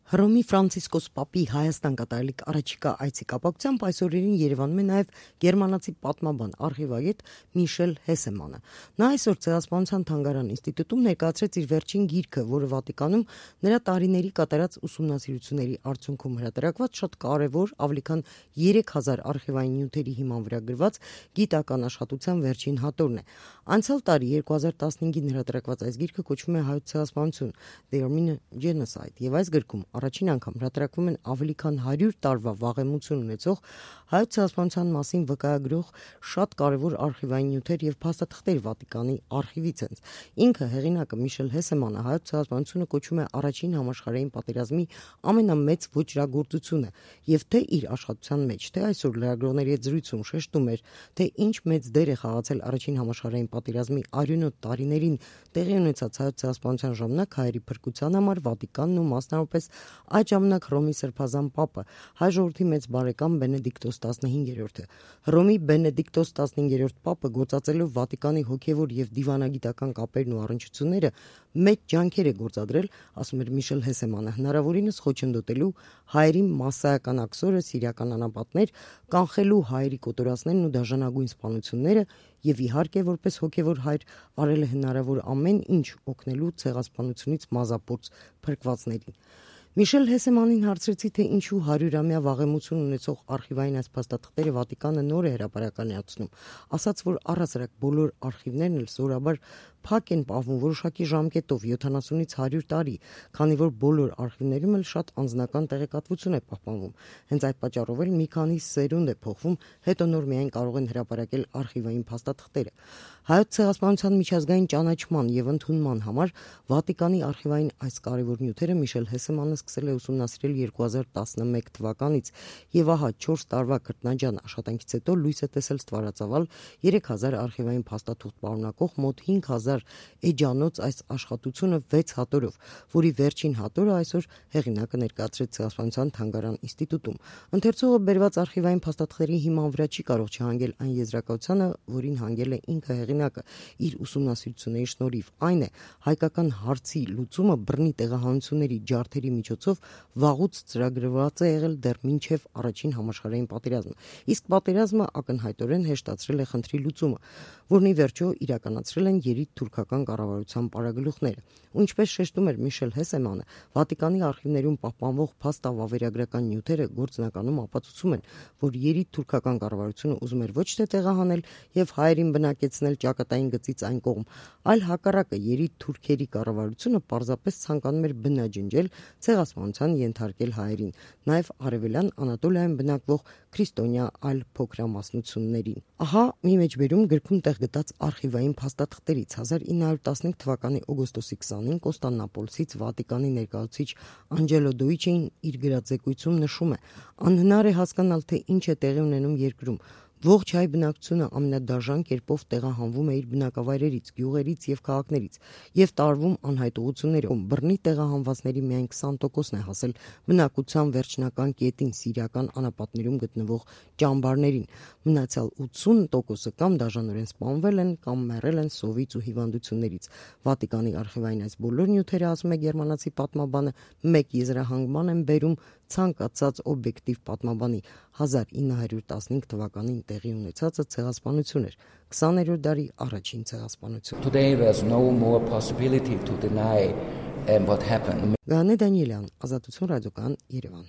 Հռոմի Ֆրանցիսկոս Պապի Հայաստան կատարելիք առաջիկա այցի կապակցությամբ այսօրերին Երևանում է նաև գերմանացի պատմաբան արխիվագետ Միշել Հեսեմանը։ Նա այսօր Ցեղասպանության թանգարան ինստիտուտում ներկայացրեց իր վերջին գիրքը, որը Վատիկանում նրա տարիների կատարած ուսումնասիրությունների արդյունքում հրատարակված շատ կարևոր ավելի քան 3000 արխիվային նյութերի հիման վրա գրված գիտական աշխատության վերջին հատորն է։ Անցյալ տարի 2015-ին հրատարակված այս գիրքը կոչվում է Հայոց ցեղասպանություն The Armenian Genocide, եւ այս գրքում առաջին անգամ հրատարակվում են ավելի քան 100 տարվա վաղեմություն ունեցող հայոց ցեղասպանության մասին վկայագրող շատ կարևոր արխիվային նյութեր եւ փաստաթղթեր Վատիկանի արխիվից են։ Ինքը հեղինակը Միշել Հեսեմանը հայոց ցեղասպանությունը կոչում է առաջին համաշխարհային պատերազմի ամենամեծ ոճրագործությունը եւ թե իր աշխատության մեջ, թե այսօր լրագրողների հետ զրույցում շեշտում էր, թե ինչ մեծ դեր է խաղացել առաջին համաշխարհային պատերազմի արյունոտ տարիներին տեղի ունեցած հայոց ցեղասպանության ժամանակ հայերի փրկության համար Վատիկանն ու մասնավորապես այդ ժամանակ Հռոմի Սրբազան Պապը, հայ ժողովրդի մեծ բարեկամ Բենեդիկտոս 15-րդը։ Հռոմի Բենեդիկտոս 15-րդ Պապը գործածելով Վատիկանի հոգևոր եւ դիվանագիտական կապերն ու առնչությունները մեծ ջանքեր է գործադրել, ասում էր Միշել Հեսեմանը, հնարավորինս խոչընդոտելու հայերի մասսայական աքսորը, սիրիական անապատներ, կանխելու հայերի կոտորածներն ու դաժանագույն սպանությունները եւ իհարկե որպես հոգևոր հայր արել է հնարավոր ամեն ինչ օգնելու ցեղասպանությունից մազապուրծ փրկվածներին։ Միշել Հեսեմանին հարցրեցի, թե ինչու 100-ամյա վաղեմություն ունեցող արխիվային այս փաստաթղթերը Վատիկանը նոր է հրապարակայնացնում, ասաց, որ առհասարակ բոլոր արխիվներն էլ սովորաբար փակ են պահվում որոշակի ժամկետով 70-ից 100 տարի, քանի որ բոլոր արխիվներում էլ շատ անձնական տեղեկատվություն է պահպանվում։ Հենց այդ պատճառով էլ մի քանի սերունդ է փոխվում, հետո նոր միայն կարող են հրապարակել արխիվային փաստաթղթերը։ Հայոց ցեղասպանության միջազգային ճանաչման եւ ընդունման համար Վատիկանի արխիվային այս կարևոր նյութերը Միշել Հեսեմանը սկսել է ուսումնասիրել 2011 թվականից եւ ահա 4 տարվա քրտնաջան աշխատանքից հետո լույս է տեսել ստվարածավալ 3000 արխիվային փաստաթուղթ պարունակող մոտ 5000 էջանոց այս աշխատությունը 6 հատորով, որի վերջին հատորը այսօր հեղինակը ներկայացրեց Ցեղասպանության թանգարան ինստիտուտում։ Ընթերցողը բերված արխիվային փաստաթղթերի հիման վրա չի կարող չհանգել այն եզրակացությանը, որին հանգել է ինքը հեղինակը իր ուսումնասիրությունների շնորհիվ, այն է հայկական հարցի լուծումը բռնի տեղահանությունների ջարդերի միջոցով վաղուց ծրագրված է եղել դեռ մինչև առաջին համաշխարհային պատերազմը, իսկ պատերազմը ակնհայտորեն հեշտացրել է խնդրի լուծումը, որն ի վերջո իրականացրել են երիտթուրքական կառավարության պարագլուխները։ Ինչպես շեշտում էր Միշել Հեսեմանը, Վատիկանի արխիվներում պահպանվող փաստավավերագրական նյութերը գործնականում ապացուցում են, որ երիտթուրքական կառավարությունը ուզում էր ոչ թե տեղահանել եւ հայերին բնակեցնել ճակատային գծից այն կողմ, այլ հակառակը երիտթուրքերի կառավարությունը պարզապես ցանկանում էր բնաջնջել ցեղասպանության ենթարկել հայերին, նաև արևելյան Անատոլիայում բնակվող քրիստոնյա այլ փոքրամասնություններին։ Ահա մի մեջբերում գրքում տեղ գտած արխիվային փաստաթղթերից 1915 թվականի օգոստոսի 20-ին Կոստանդնուպոլսից Վատիկանի ներկայացուցիչ Անջելո Դոիչին իր գրածեկույցում նշում է. անհնար է հասկանալ, թե ինչ է տեղի ունենում երկրում։ Ողջ հայ բնակչությունը ամենադաժան կերպով տեղահանվում է իր բնակավայրերից, գյուղերից եւ քաղաքներից եւ տարվում անհայտողություններով։ Բռնի տեղահանվածների միայն 20%-ն է հասել բնակության վերջնական կետին սիրիական անապատներում գտնվող ճամբարներին։ Մնացյալ 80%-ը կամ դաժանորեն սպանվել են, կամ մեռել են սովից ու հիվանդություններից։ Վատիկանի արխիվային այս բոլոր նյութերը, ասում է գերմանացի պատմաբանը, մեկ եզրահանգման են բերում ցանկացած օբյեկտիվ պատմաբանի 1915 թվականին տեղի ունեցածը ցեղասպանություն էր, 20-րդ դարի առաջին ցեղասպանություն։ Today there's no more possibility to deny what happened. Գանե Դանիելյան, Ազատություն ռադիոկայան, Երևան։